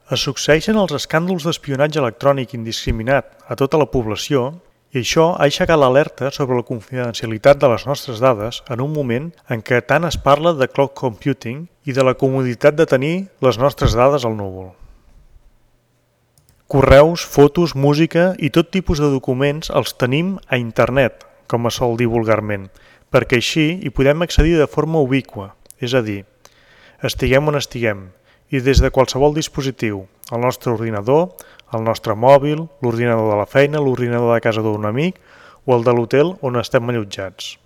Es succeeixen els escàndols d'espionatge electrònic indiscriminat a tota la població i això ha aixecat l'alerta sobre la confidencialitat de les nostres dades en un moment en què tant es parla de cloud computing i de la comoditat de tenir les nostres dades al núvol. Correus, fotos, música i tot tipus de documents els tenim a internet, com es sol dir vulgarment, perquè així hi podem accedir de forma ubíqua, és a dir, estiguem on estiguem, i des de qualsevol dispositiu, el nostre ordinador, el nostre mòbil, l'ordinador de la feina, l'ordinador de casa d'un amic o el de l'hotel on estem allotjats.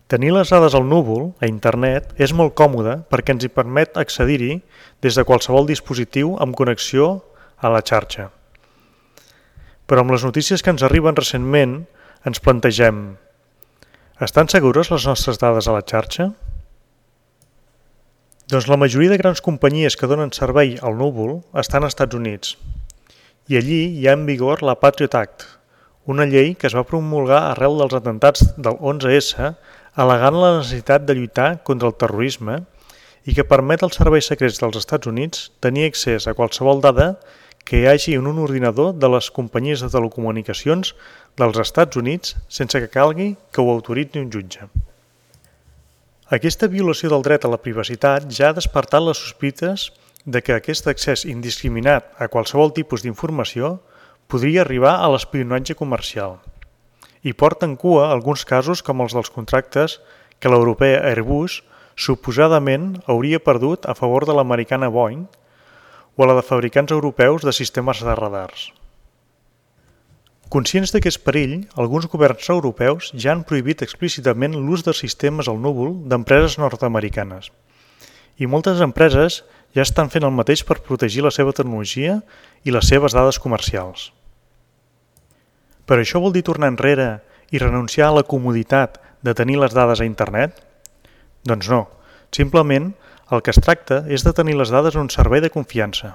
Tenir les dades al núvol, a internet, és molt còmode perquè ens hi permet accedir-hi des de qualsevol dispositiu amb connexió a la xarxa. Però amb les notícies que ens arriben recentment ens plantegem: estan segures les nostres dades a la xarxa? Doncs la majoria de grans companyies que donen servei al núvol estan als Estats Units i allí hi ha en vigor la Patriot Act, una llei que es va promulgar arrel dels atemptats del 11S al·legant la necessitat de lluitar contra el terrorisme i que permet als serveis secrets dels Estats Units tenir accés a qualsevol dada que hi hagi en un ordinador de les companyies de telecomunicacions dels Estats Units sense que calgui que ho autoritzi un jutge. Aquesta violació del dret a la privacitat ja ha despertat les sospites de que aquest accés indiscriminat a qualsevol tipus d'informació podria arribar a l'espionatge comercial. I porten cua alguns casos com els dels contractes que l'europea Airbus suposadament hauria perdut a favor de l'americana Boeing o la de fabricants europeus de sistemes de radars. Conscients d'aquest perill, alguns governs europeus ja han prohibit explícitament l'ús de sistemes al núvol d'empreses nord-americanes. I moltes empreses ja estan fent el mateix per protegir la seva tecnologia i les seves dades comercials. Però això vol dir tornar enrere i renunciar a la comoditat de tenir les dades a internet? Doncs no, simplement el que es tracta és de tenir les dades en un servei de confiança.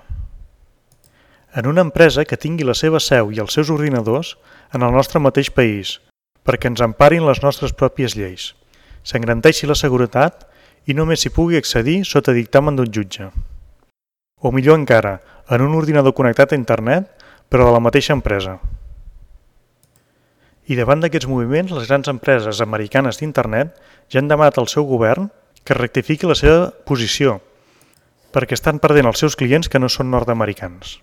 En una empresa que tingui la seva seu i els seus ordinadors en el nostre mateix país, perquè ens emparin les nostres pròpies lleis, s'engrandeixi la seguretat i només s'hi pugui accedir sota dictamen d'un jutge. O millor encara, en un ordinador connectat a internet, però de la mateixa empresa. I davant d'aquests moviments, les grans empreses americanes d'internet ja han demanat al seu govern que rectifiqui la seva posició, perquè estan perdent els seus clients que no són nord-americans.